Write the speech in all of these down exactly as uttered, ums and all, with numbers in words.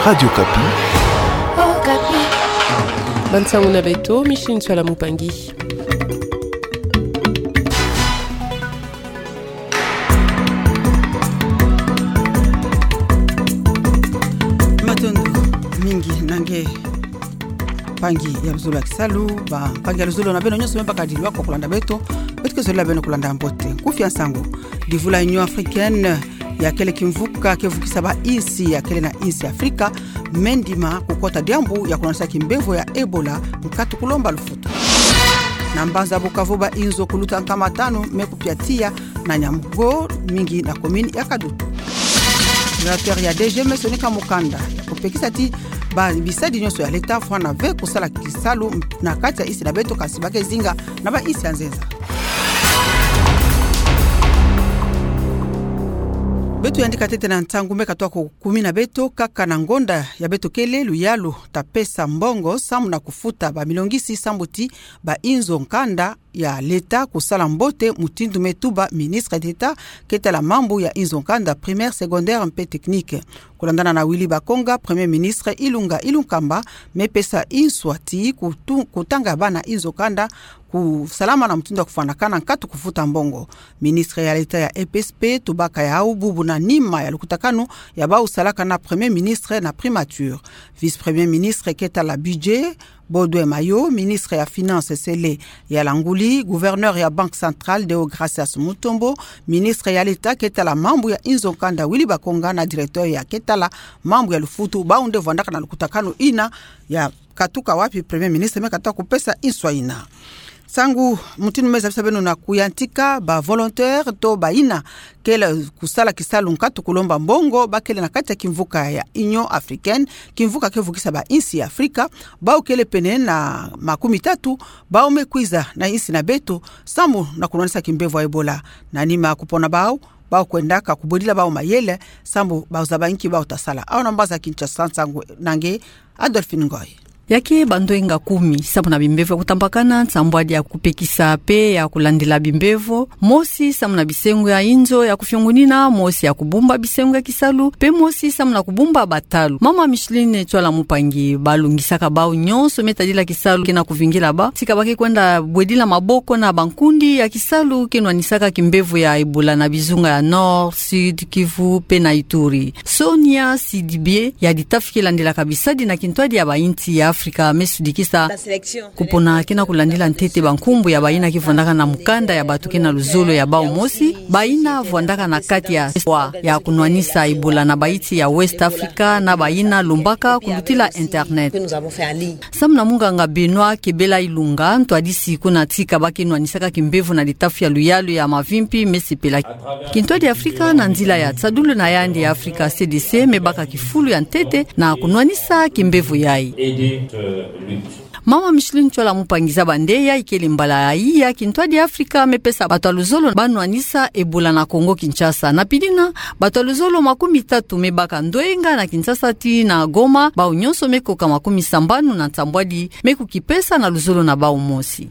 Radio Okapi. Okapi. Bansangu na beto, Micheline Ntsoila Mupangi. Matondo mingi na nge mpangi ya luzolo ya kisalu, bampangi ya luzolo na beno nyonso me bakadilwa kwa kulanda beto, beto ke zolila beno kulanda mbote. Nkufi ya nsangu. Divu la Union Africaine, ya kele kimvuka ke vukisa bainsi ya kele na insi ya Afrika, me ndima kukota diambu ya kunwanisa kimbevo ya Ebola, nkatu kulomba lufutu. Na mbanza Bukavu, bainzo kuluta nkama tanu me kupia tiya na Niamgo, mingi na commune ya Kadutu. Directeur ya D G M me sonika mukanda ya kupekisa ti ba bisadi nyonso ya leta fwana ve kusala kisalu na kati ya insi na beto, kasi ba ke zinga na bainsi ya nzenza. Beto yandi katete na ntangu me katwa ko kumina beto kaka na ngonda ya beto kele luyalu ta pesa mbongo samu na kufuta bamilongisi sambu ti bainzo nkanda ya leta kusala mbote, mutindu me tuba ministre d'État ke tala mambu ya inzo nkanda primaire, secondaire mpe technique. Kulandana na Willy Bakonga, Premier Ministre, Ilunga Ilunkamba me pesa inswa ti kutu-, kutanga bana inzo nkanda kusalama na mutindu ya kufwanakana, nkatu kufuta mbongo. Ministre ya leta ya E P S P tubaka yau bubu na nima ya lukutakanu ya bau salaka na Premier Ministre na primature. Vice-Premier Ministre ke tala budget, Baudouin Mayo, ministre ya Finances, Cele Yalanguli, gouverneur ya Banque Centrale, Deogracias Mutombo, ministre ya leta ke tala mambu ya inzo nkanda, Willy Bakonga, na directeur ya ke tala mambu ya lufutu, bau nde vwandaka na lukutakanu ina ya katuka wapi Premier Ministre me katwa kupesa inswa ina. Nsangu mutindu me zabisa beno na kuyantika ba volontaire to baina kele kusala kisalu nkatu kulomba mbongo, ba kele na kati ya kimvuka ya Union Africaine, kimvuka ke vukisa bainsi ya Afrika, bau kele pene na makumi tatu, bau me kwiza na insi na beto samu na kunwanisa kimbevo ya Ebola. Na nima kupona bau, bau kwendaka kubwedila bau mayele sambu bau zaba nki bau ta sala. Awa na mbanza Kinshasa, nsangu na nge Adolphine Ngoy. Ya ke bandoenga kumi samu na bimbevo ya kutambakana, nsambwadi ya kupekisa mpe ya kulandila bimbevo, mosi samu na bisengo ya inzo ya kufiongunina, mosi ya kubumba bisengo ya kisalu, mpe mosi samu na kubumba batalu. Mama Micheline Ntsoila Mupangi, balungisaka bau nyonso me tadila kisalu ke na kuvingila bau, tika ba ke kwenda bwedila maboko na bankundi ya kisalu ke nwanisaka kimbevo ya Ebola na bizunga ya Nord, Sud Kivu mpe na Ituri. Sonia Sidibé, ya ditafi ke landilaka bisadi na kintwadi ya bainsi ya Afrika, me sudikisa kupona ke na kulandila ntete bankumbu ya baina ke vwandaka na mukanda ya bato ke na luzolo ya bau mosi, baina vwandaka na kati ya espoir ya kunwanisa Ebola na bainsi ya West Africa, na baina lombaka kulutila internet. Samu na munganga Benoît Kebela Ilunga, ntwadisi kuna tika ba ke nwanisaka kimbevo na litafi ya luyalu ya mavimpi, me sepela kintwadi ya Afrika na nzila ya tisadulu na yandi ya Afrika C D C me baka kifulu ya ntete na kunwanisa kimbevo yayi. Mama Micheline Ntsoila Mupangi, zaba nde ya ikele mbala ya iya kintwadi ya Afrika me pesa bato ya luzolo ba nwanisa Ebola na Congo Kinshasa. Na pidina, bato ya luzolo makumi tatu me baka ndoenga na Kinshasa tii na Goma, bau nyonso me koka makumi sambanu na nsambwadi me kukipesa na luzolo na bau mosi.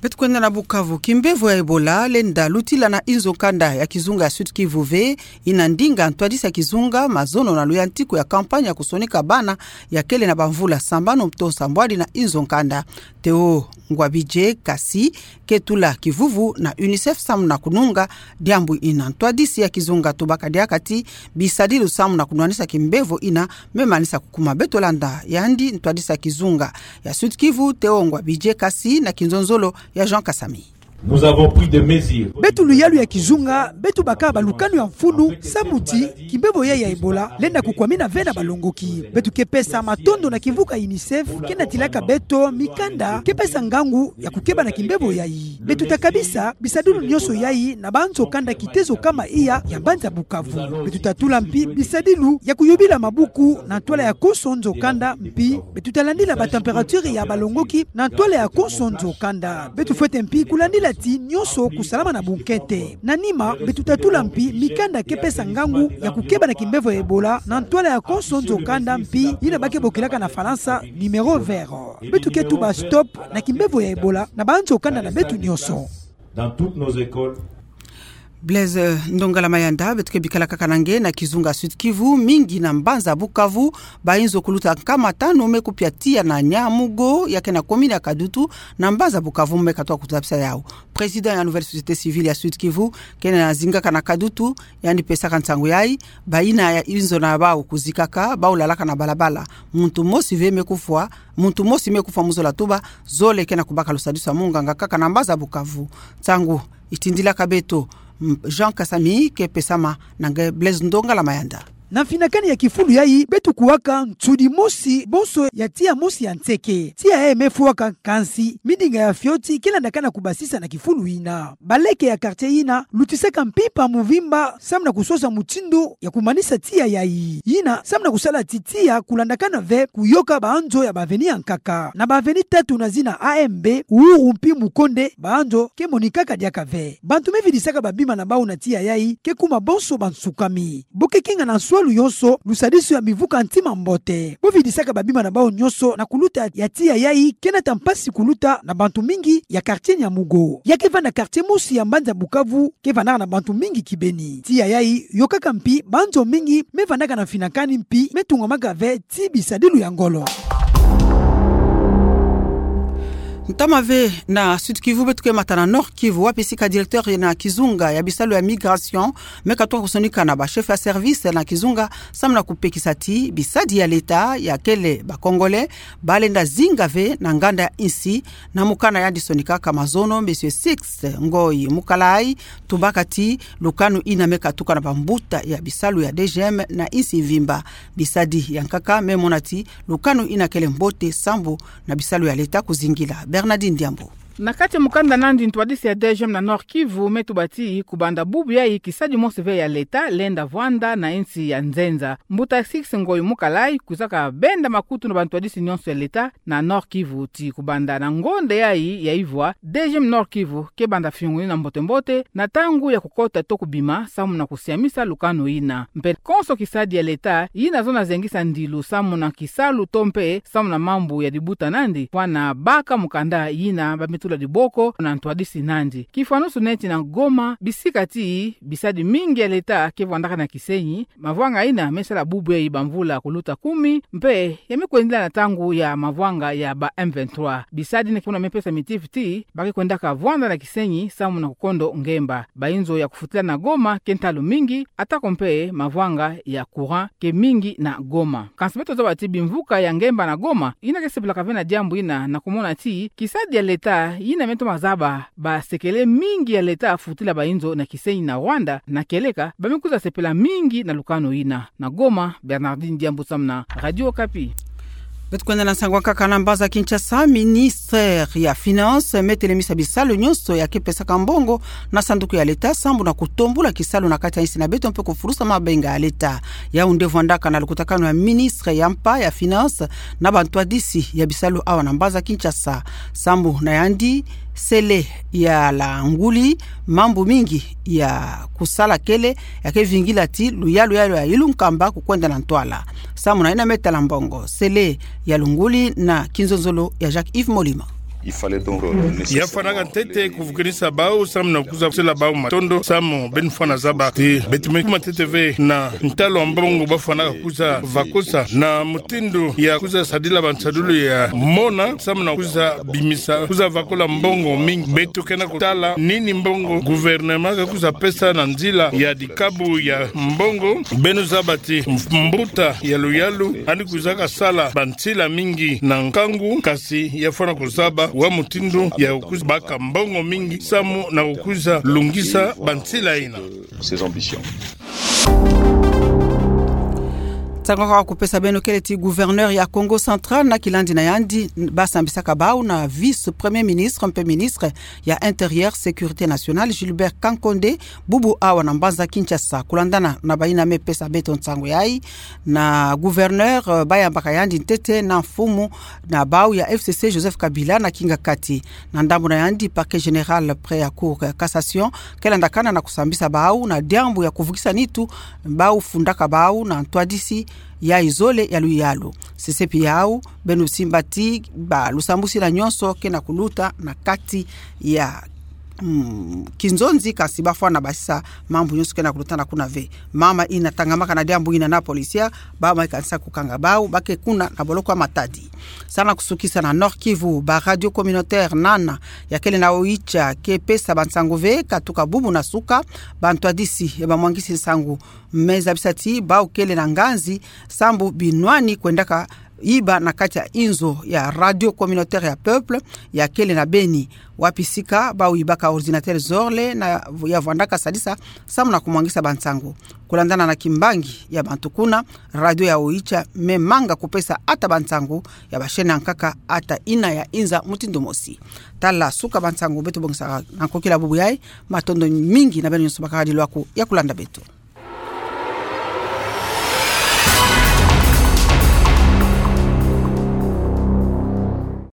Beto kwenda na Bukavu. Kimbevo ya Ebola lenda lutila na inzo nkanda ya kizunga ya Sud Kivu ve, ina ndinga ntwadisi ya kizunga mazono na luyantiku ya campagne ya kusonika bana ya kele na bamvula sambanu to nsambwadi na inzo nkanda. Theo Ngwabidje Kasi ke tula kivuvu na UNICEF samu na kununga diambu ina. Ntwadisi ya kizunga tubaka diaka ti bisadilu samu na kunwanisa kimbevo ina me manisa kukuma. Beto landa yandi, ntwadisi ya kizunga ya Sud Kivu, Theo Ngwabidje Kasi, na kinzonzolo ya Jean Kasami. Nous avons pris des mesures. Beto luyalu ya kizunga, beto baka balukanu ya mfunu, samu ti kimbevo yayi ya Ebola lenda kukwamina ve na balongoki. Beto ke pesa matondo na kimvuka UNICEF ke natilaka beto mikanda ke pesa ngangu ya kukeba na kimbevo yayi. Beto ta kabisa bisadilu nyonso yayi na banzo kanda kitezo kama iya ya mbanza Bukavu. Beto ta tula mpi bisadilu ya kuyobila mabuku na ntwala ya konso nzo kanda, mpi beto ta landila batempérature ya balongoki na ntwala ya konso nzo kanda. Beto fwete mpi kulandila ti nyonso kusalama na bunkete. Na nima, beto ta tula mpi mikanda ke pesa ngangu ya kukeba na kimbevo ya Ebola na ntwala ya konso nzo kanda, mpi yina ba ke bokilaka na Falansa numéro vert. Beto ke tuba stop na kimbevo ya Ebola na banzo kanda na beto nyonso. Dans toutes nos écoles. Blaise Ndongala Mayanda. Beto ke bikala kaka na nge na kizunga Sud-Kivu, mingi na mbanza Bukavu, bainzo kuluta nkama tanu me kupia tiya na Nyamugo, ya ke na commune ya Kadutu, na mbanza Bukavu, me katoka kuzabisa yau. Président ya Nouvelle Société Civile ya Sud-Kivu, kena zingaka na Kadutu, yandi pesaka nsangu yayi, bayina ya inzo na bau kuzikaka, bau lalaka na balabala. Muntu mosi ve me kufwa, muntu mosi me kufwa mu zola tuba, zole kena kubaka lusadisu ya munganga kaka na mbanza Bukavu. Nsangu itindilaka beto, m-, Jean Kasami ke pesama na nge Blaise Ndongala Mayanda. Na mfinakani ya kifulu yayi, beto kuwaka nsudi mosi bonso ya tiya mosi ya nseke. Tiya yayi me fwaka, kansi midinga ya fioti ke landakana kubasisa na kifulu yina. Baleke ya quartier yina lutisaka mpimpa muvimba samu na kusosa mutindu ya kumanisa tiya yayi. Yina samu na kusala ti tiya kulandakana ve kuyoka banzo ya ba avenue ya nkaka. Na ba avenue tatu na zina A M B, Uhuru mpi Mukonde, banzo ke monikaka diaka ve. Bantu me vidisaka babima na bau na tiya yayi ke kuma bonso bansukami. Bo ke kinga na nswalu yonso lusadisu ya mivuka ntima mbote. Bo vidisaka babima na bau nyonso na kuluta ya tiya yayi, ke nata mpasi kuluta na bantu mingi ya quartier Nyamugo. Ya ke vanda quartier mosi ya mbanza Bukavu ke vandaka na bantu mingi kibeni. Tiya yayi yokaka mpi banzo mingi me vandaka na mfinakani mpi me tungamaka ve ti bisadilu ya ngolo. Ntama ve na Sud-Kivu, beto ke mata na Nord-Kivu, wapi sika directeur na kizunga ya bisalu ya migration me katoka kusonika na ba chef ya service na kizunga samu na kupekisa ti bisadi ya leta ya kele ba Congolais balenda zinga ve na nganda insi. Na mukana yandi sonikaka mazono, Monsieur Six Ngoyi Mukalai, tubaka ti lukanu yina me katuka na bambuta ya bisalu ya D G M na insi mvimba. Bisadi ya nkaka me mona ti lukanu yina kele mbote sambu na bisalu ya leta kuzingila. Bernardine Diambu. Na kati ya mukanda nandi, ntwadisi ya D G M na Nord-Kivu me tuba ti kubanda bubu yayi kisadi mosi ve ya leta lenda vwanda na insi ya nzenza. Mbuta Six Ngoyi Mukalai kwizaka benda makutu na bantwadisi nyonso ya leta na Nord-Kivu ti kubanda na ngonde yayi ya ivwa, D G M Nord-Kivu ke banda fiongo yina mbote-mbote na ntangu ya kukota to kubima samu na kusiamisa lukanu yina. Mpe konso kisadi ya leta yina zona zengisa ndilu samu na kisalu to mpe samu na mambu ya dibuta nandi, fwana baka mukanda yina ba me tula diboko na ntwadisi nandi. Kifwanusu neti na Goma, bisika ti bisadi mingi ya leta ke vwandaka na kisenyi, mavwanga yina me sala bubu yayi bamvula kuluta kumi, mpe ya me kwendela na ntangu ya mavwanga ya ba M vingt-trois. Bisadi yina ke mona me pesa mitifi ti ba ke kwendaka vwanda na kisenyi samu na kukondo ngemba. Bainzo ya kufutila na Goma ke ntalu mingi, atako mpe mavwanga ya courant ke mingi na Goma. Kansi beto zaba ti bimvuka ya ngemba na Goma yina ke sepelaka ve na diambu yina, na kumona ti kisadi ya leta yina me toma zaba basekele mingi ya leta futila bainzo na kisenyi na Rwanda, na kieleka ba me kwiza sepela mingi na lukanu yina. Na Goma, Bernardine Diambu samu na Radio Okapi. Beto kwenda na nsangu ya nkaka na mbanza Kinshasa. Ministre ya Finances me telemisa bisalu nyonso ya ke pesaka mbongo na sanduku ya leta sambu na kutombula kisalu na kati ya insi na beto mpe kufulusa mabenga ya leta. Yau nde vwandaka na lukutakanu ya ministre ya mpa ya Finances na bantwadisi ya bisalu awa na mbanza Kinshasa. Sambu na yandi, sele ya la nguli, mambu mingi ya kusala kele ya ke vingila ti luyalu ya luyalu ya ilu nkamba kukwenda na ntwala. Samu na yina me tala mbongo, sele ya lunguli na kinzonzolo ya Jacques Yves Molima. Ya fwanaka ntete kuvukinisa bau samu na kwiza sila bau matondo, samu beno fwana zaba ti beto me kuma ntete ve na ntalu ya mbongo ba fwanaka kwiza vakosa na mutindu ya kwiza sadila bansadulu ya mona samu na kwiza bimisa, kwiza vakola mbongo mingi. Beto ke na kutala nini mbongo gouvernement ke kwiza pesa na nzila ya dikabu ya mbongo. Beno zaba ti mbuta ya luyalu yandi kwizaka sala bansila mingi na nkangu, kansi ya fwana kuzaba wa mutindu ya kwiza baka mbongo mingi samu na kwiza lungisa bansila yina. Ses ambitions. Nsangu ya kupesa beno kele ti gouverneur ya Kongo Central na kilandi na yandi ba sambisaka bau na vice-premier ministre mpe ministre ya Intérieur, Sécurité nationale, Gilbert Kankonde, bubu awa na mbanza Kinshasa. Kulandana na bayina me pesa beto nsangu yayi, na gouverneur, eh, ba yambaka yandi ntete na mfumu na bau ya F C C, Joseph Kabila, na kingakati. Na ndambu na yandi, Parquet général près ya Cour ya cassation ke landakana na kusambisa bau na diambu ya kuvukisa nitu bau fundaka bau na ntwadisi ya izole ya luyalu. Sesepi yau, beno simba ti ba lusambusila nyonso ke na kuluta na kati ya mm, kinzonzi, kasi bafwana basisa mambu nyonso ke na kulutana kuna ve. Mama ina tangamaka na diambu ina na polisia, bamai kanisa kukanga bau ba ke kuna na boloko ya Matadi. Sana kusukisa na Nord-Kivu, ba radio communautaire nana ya kele na Oicha ke pesa bansangu ve katuka bubu na suka, bantwadisi ya bamwangisi nsangu me zabisa ti bau kele na nganzi sambu binwani kwendaka iba na kati ya inzo ya radio communautaire ya peuple ya kele na Beni, wapi sika bau ibaka ordinateur zole na ya vwandaka sadisa samu na kumwangisa bansangu. Kulandana na kimbangi ya bantu kuna, radio ya Oicha me manga kupesa ata bansangu ya ba chaîne ya nkaka ata ina ya inza mutindu mosi. Tala suka bansangu beto bongisaka na nkokila bubu yayi. Matondo mingi na beno nyonso bakaka dilu aku ya kulanda beto.